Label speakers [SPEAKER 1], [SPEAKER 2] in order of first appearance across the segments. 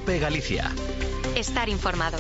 [SPEAKER 1] COPE Galicia.
[SPEAKER 2] Estar informado.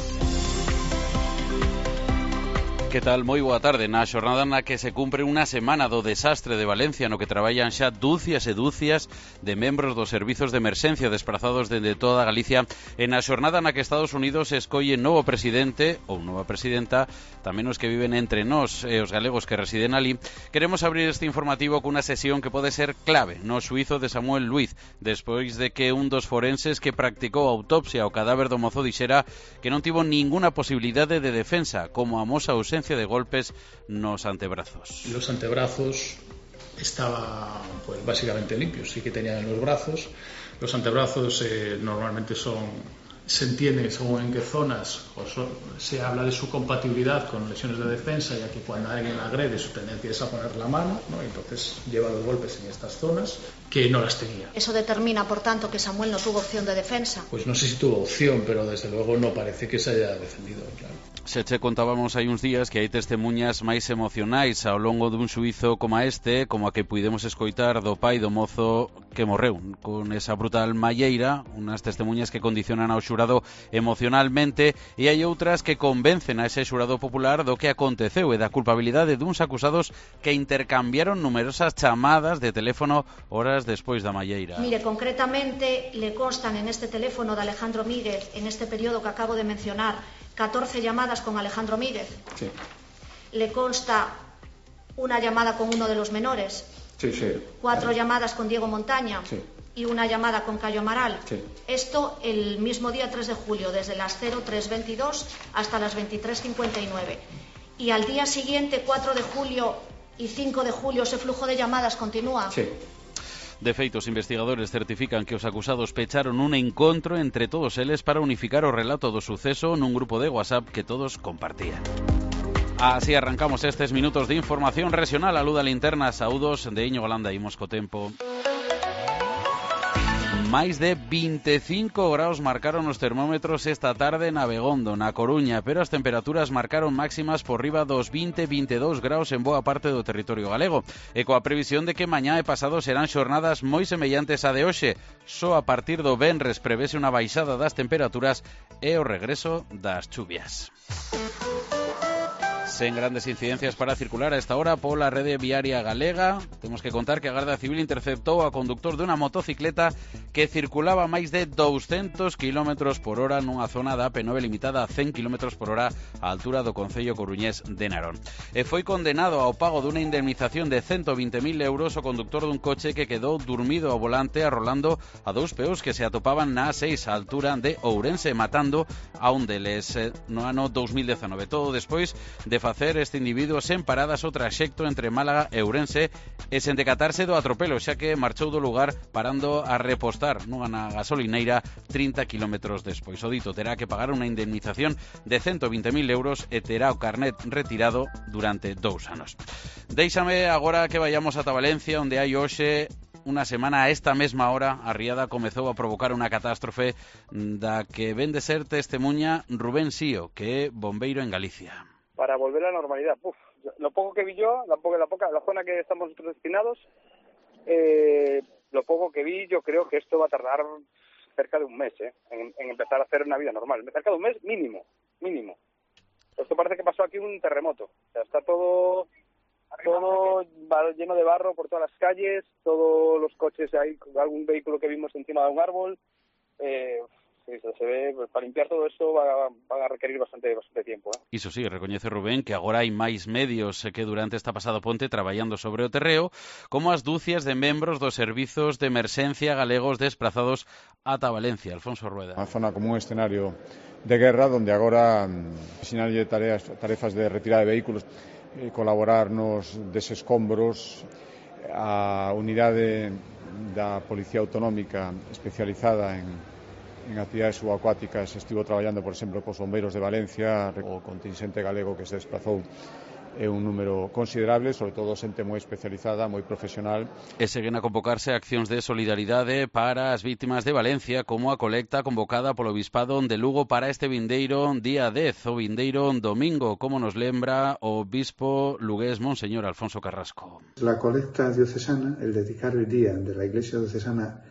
[SPEAKER 3] Que tal? Moi boa tarde. Na xornada na que se cumpre unha semana do desastre de Valencia, no que traballan xa dúcias e dúcias de membros dos servizos de emerxencia desprazados dende toda Galicia, e na xornada na que Estados Unidos escolle novo presidente ou nova presidenta, tamén os que viven entre nós e os galegos que residen ali, queremos abrir este informativo cunha sesión que pode ser clave no xuízo de Samuel Luiz, despois de que un dos forenses que practicou a autopsia ao cadáver do mozo dixera que non tivo ninguna posibilidade de defensa, como amosa a ausencia de golpes nos antebrazos.
[SPEAKER 4] Los antebrazos estaban pues básicamente limpios, sí que tenían los brazos. Los antebrazos normalmente se entiende según en qué zonas se habla de su compatibilidad con lesiones de defensa, ya que cuando alguien agrede su tendencia es a poner la mano, ¿no? Entonces lleva los golpes en estas zonas que no las tenía.
[SPEAKER 5] ¿Eso determina, por tanto, que Samuel no tuvo opción de defensa?
[SPEAKER 4] Pues no sé si tuvo opción, pero desde luego no parece que se haya defendido, claro.
[SPEAKER 3] Se che contábamos hai uns días que hai testemunhas máis emocionais ao longo dun xuízo como este, como a que puidemos escoitar do pai do mozo que morreu con esa brutal malleira, unhas testemunhas que condicionan ao xurado emocionalmente, e hai outras que convencen a ese xurado popular do que aconteceu e da culpabilidade duns acusados que intercambiaron numerosas chamadas de teléfono horas despois da malleira.
[SPEAKER 5] Mire, concretamente le constan en este teléfono de Alejandro Míguez, en este periodo que acabo de mencionar, 14 llamadas con Alejandro Míguez.
[SPEAKER 4] Sí.
[SPEAKER 5] Le consta una llamada con uno de los menores.
[SPEAKER 4] Sí, sí.
[SPEAKER 5] 4 llamadas con Diego Montaña.
[SPEAKER 4] Sí.
[SPEAKER 5] Y una llamada con Cayo Amaral.
[SPEAKER 4] Sí.
[SPEAKER 5] Esto el mismo día 3 de julio, desde las 03:22 hasta las 23:59. Y al día siguiente, 4 de julio y 5 de julio, ese flujo de llamadas continúa.
[SPEAKER 4] Sí.
[SPEAKER 3] De feito, os investigadores certifican que os acusados pecharon un encontro entre todos eles para unificar o relato do suceso nun grupo de WhatsApp que todos compartían. Así arrancamos estes minutos de información regional. A luz da linterna, saúdos de Íñigo Landa, imos co tempo. Máis de 25 graus marcaron os termómetros esta tarde na Begondo, na Coruña, pero as temperaturas marcaron máximas por riba dos 20-22 graus en boa parte do territorio galego, e coa previsión de que mañá e pasado serán xornadas moi semellantes a de hoxe. Só a partir do venres prevese unha baixada das temperaturas e o regreso das chuvias. Sen grandes incidencias para circular a esta hora pola rede viaria galega. Temos que contar que a Garda Civil interceptou a conductor dunha motocicleta que circulaba a máis de 200 km por hora nunha zona da AP9 limitada a 100 km por hora á altura do concello coruñés de Narón. E foi condenado ao pago dunha indemnización de 120.000 euros o conductor dun coche que quedou durmido ao volante arrolando a dous peóns que se atopaban na A6 á altura de Ourense, matando a un deles no ano 2019. Todo despois de facer este individuo sen paradas o traxecto entre Málaga e Ourense e sen decatarse do atropelo, xa que marchou do lugar parando a repostar nunha gasolineira 30 km despois. O dito terá que pagar unha indemnización de 120.000 euros e terá o carnet retirado durante 2 anos. Déixame agora que vayamos ata Valencia, onde hai hoxe unha semana a esta mesma hora a riada comezou a provocar unha catástrofe da que ven de ser testemuña Rubén Sío, que é bombeiro en Galicia.
[SPEAKER 6] Para volver a la normalidad. Lo poco que vi yo, la zona que estamos nosotros destinados, lo poco que vi, yo creo que esto va a tardar cerca de un mes en empezar a hacer una vida normal. Cerca de un mes mínimo. Esto parece que pasó aquí un terremoto. O sea, está todo lleno de barro por todas las calles, todos los coches, hay algún vehículo que vimos encima de un árbol. Sí, se ve, pues, para limpiar todo eso va a requerir bastante tiempo.
[SPEAKER 3] Iso sí, recoñece Rubén que agora hai máis medios que durante esta pasada ponte traballando sobre o terreo, como as dúcias de membros dos servizos de emerxencia galegos desprazados ata Valencia. Alfonso Rueda.
[SPEAKER 7] A zona como un escenario de guerra, donde agora sinale tarefas de retirada de vehículos, colaborar nos desescombros, a unidade da Policía Autonómica especializada en actividades subacuáticas estivo traballando, por exemplo, cos bombeiros de Valencia. O contingente galego que se desplazou é un número considerable, sobre todo xente moi especializada, moi profesional.
[SPEAKER 3] E seguen a convocarse accións de solidaridade para as vítimas de Valencia, como a colecta convocada polo Bispado de Lugo para este vindeiro día 10, o vindeiro domingo, como nos lembra o bispo lugués Monseñor Alfonso Carrasco.
[SPEAKER 8] La colecta diocesana, el dedicar el día de la Iglesia diocesana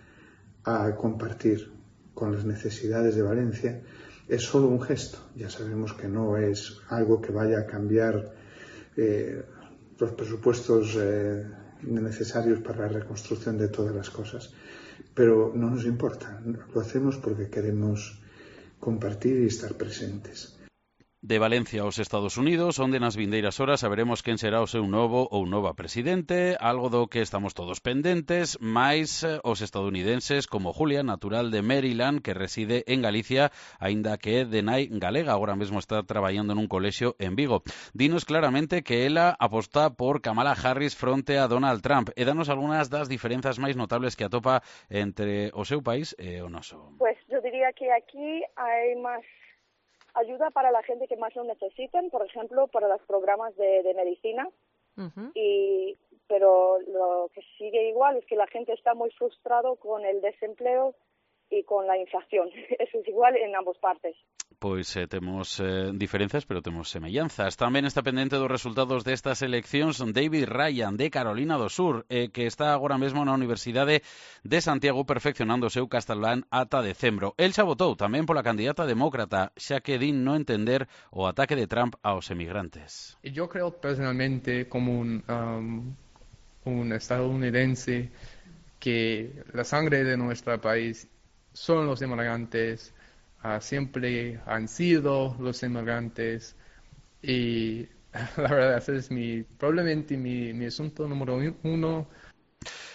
[SPEAKER 8] a compartir
[SPEAKER 1] con las necesidades de Valencia, es solo un gesto. Ya sabemos que no es algo que vaya a cambiar los presupuestos necesarios para la reconstrucción de todas las cosas. Pero no nos importa, lo hacemos porque queremos compartir y estar presentes.
[SPEAKER 3] De Valencia aos Estados Unidos, onde nas vindeiras horas saberemos quen será o seu novo ou nova presidente, algo do que estamos todos pendentes, máis os estadounidenses como Julia, natural de Maryland, que reside en Galicia, aínda que é de nai galega, agora mesmo está traballando nun colexio en Vigo. Dinos claramente que ela aposta por Kamala Harris fronte a Donald Trump, e danos algunhas das diferenzas máis notables que atopa entre o seu país e o noso.
[SPEAKER 2] Pues yo diría que aquí hay más ayuda para la gente que más lo necesitan, por ejemplo, para los programas de medicina. Pero lo que sigue igual es que la gente está muy frustrado con el desempleo y con la inflación. Eso es igual en ambas partes.
[SPEAKER 3] Pois temos diferenzas, pero temos semellanzas. Tamén está pendente dos resultados destas eleccións David Ryan, de Carolina do Sur, que está agora mesmo na Universidade de Santiago perfeccionando o seu castelán ata decembro. El xa votou tamén pola candidata demócrata, xa que din non entender o ataque de Trump aos emigrantes.
[SPEAKER 8] Yo creo personalmente como un estadounidense que la sangre de nuestro país son los inmigrantes. Siempre han sido los inmigrantes y la verdad ese es probablemente mi asunto número uno.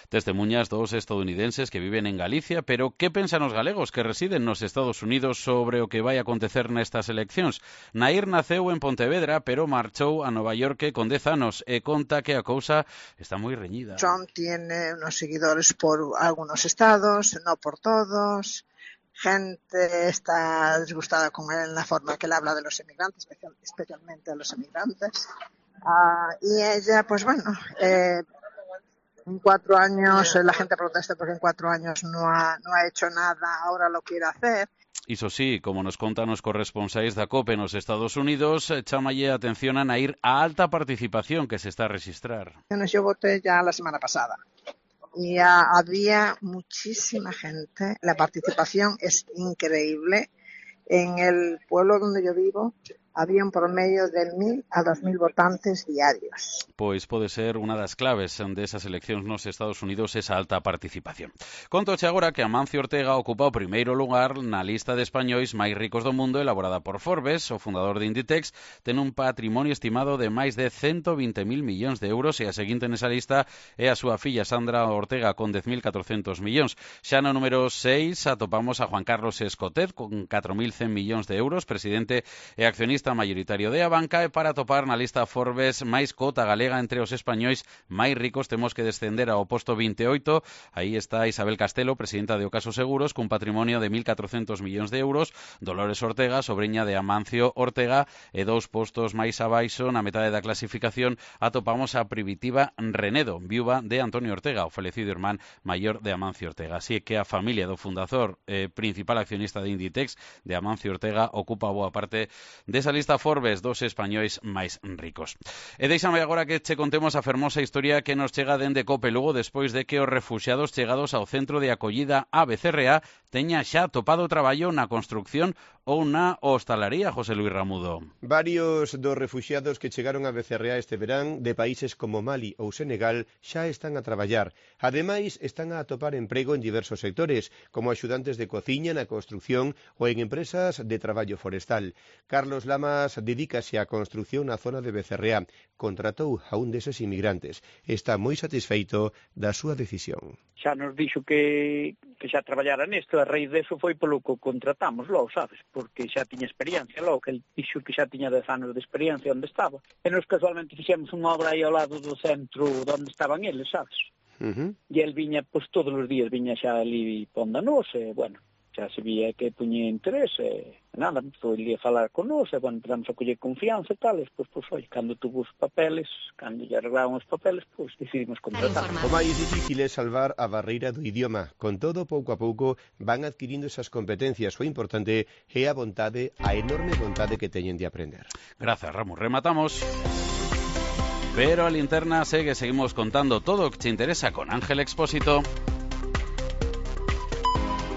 [SPEAKER 3] Testemuñas dos estadounidenses que viven en Galicia, pero que pensan os galegos que residen nos Estados Unidos sobre o que vai acontecer nestas eleccións? Nair naceu en Pontevedra, pero marchou a Nova York con 10 anos e conta que a cousa está moi reñida.
[SPEAKER 9] Trump tiene unos seguidores por algunos estados, no por todos. Gente está disgustada con él en la forma que él habla de los inmigrantes, especialmente de los inmigrantes. Y ella, pues bueno, en 4 años la gente protesta porque en 4 años no ha hecho nada, ahora lo quiere hacer.
[SPEAKER 3] Iso sí, como nos contan os corresponsáis da COPE nos Estados Unidos, chámalle a atención a Nair a alta participación que se está a registrar.
[SPEAKER 9] Yo voté ya la semana pasada. Y había muchísima gente, la participación es increíble. En el pueblo donde yo vivo había un promedio de 1.000 a 2.000 votantes diarios.
[SPEAKER 3] Pois pode ser unha das claves desas eleccións nos Estados Unidos esa alta participación. Contoche agora que Amancio Ortega ocupa o primeiro lugar na lista de españois máis ricos do mundo elaborada por Forbes. O fundador de Inditex ten un patrimonio estimado de máis de 120.000 millóns de euros e a seguinte nesa lista é a súa filla Sandra Ortega con 10.400 millóns. Xa no número 6 atopamos a Juan Carlos Escotet con 4.100 millóns de euros, presidente e accionista mayoritario de Abanca, e para topar na lista Forbes máis cota galega entre os españois máis ricos temos que descender ao posto 28. Aí está Isabel Castelo, presidenta de Ocaso Seguros, cun patrimonio de 1.400 millóns de euros. Dolores Ortega, sobreña de Amancio Ortega, e 2 postos máis abaixo na metade da clasificación atopamos a Primitiva Renedo, viúva de Antonio Ortega, o falecido irmán maior de Amancio Ortega. Así que a familia do fundador principal accionista de Inditex, de Amancio Ortega, ocupa boa parte desa lista Forbes dos españois máis ricos. E deixame agora que che contemos a fermosa historia que nos chega dende Cope Lugo despois de que os refuxiados chegados ao centro de acollida a Becerreá teña xa topado traballo na construcción ou na hostalaría, José Luis Ramudo.
[SPEAKER 10] Varios dos refuxiados que chegaron a Becerreá este verán de países como Mali ou Senegal xa están a traballar. Ademais, están a atopar emprego en diversos sectores, como axudantes de cociña na construcción ou en empresas de traballo forestal. Carlos Lamas dedícase á construción na zona de Becerreá. Contratou a un deses inmigrantes. Está moi satisfeito da súa decisión.
[SPEAKER 11] Xa nos dixo que xa traballara nisto, a raíz deso foi polo que contratamos logo, sabes? Porque xa tiña experiencia logo, que el dixo que xa tiña 10 anos de experiencia onde estaba. E nos casualmente fixemos unha obra aí ao lado do centro onde estaban eles, sabes? E el viña, pois todos os días viña xa ali pondanos, e bueno, xa se vía que puñía interés, nada, foi ali a falar con nós, e bueno, empezamos a coller confianza e tal, e despois, pois, oi, cando tuvo os papeles, cando lle arreglaron os papeles, pois, decidimos contratar.
[SPEAKER 10] O máis difícil é salvar a barreira do idioma. Con todo, pouco a pouco, van adquirindo esas competencias. O importante é a vontade, a enorme vontade que teñen de aprender.
[SPEAKER 3] Grazas, Ramos. Rematamos. Pero a linterna seguimos contando todo o que te interesa con Ángel Expósito.